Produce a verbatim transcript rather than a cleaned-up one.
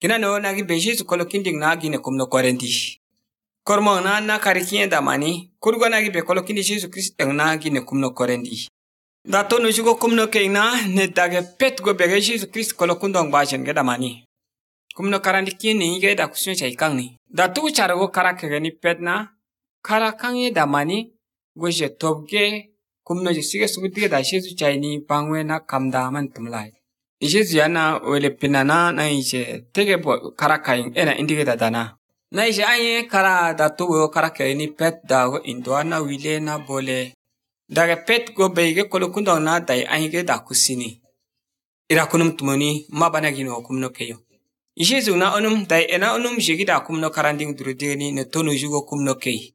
Kina no nagi be Jésus kolo kinding na gine kumno Korinti. Kormo na na karikien da mani, kurgo nagi be kolo kindi Jésus Christ na gine kumno Korinti. Da to no jugo kumno ke na ne dage pet go be Jésus Christ kolo kundong ba jen ge da mani. Kumno karandi kien ni ge da kusne chai kang ni. Da tu chara go karak ge ni pet na kara kang ye da mani go je tobge kumno je sige suguti da Jésus chai ni pangwe na kamda man tumlai. Jésus yana wele pinana na ije tege bo karakain ena indige da dana. Na ije anye kara da tuwo karaka ni pet da go indwana wile na bole. Daga pet go beige kolo kundong na dai anye da kusini. Ira kunum tumoni mabana gino kumno keyo. Jésus na onum dai ena onum jigi da kumno karanding durudini ne tonu jugo kumno kei.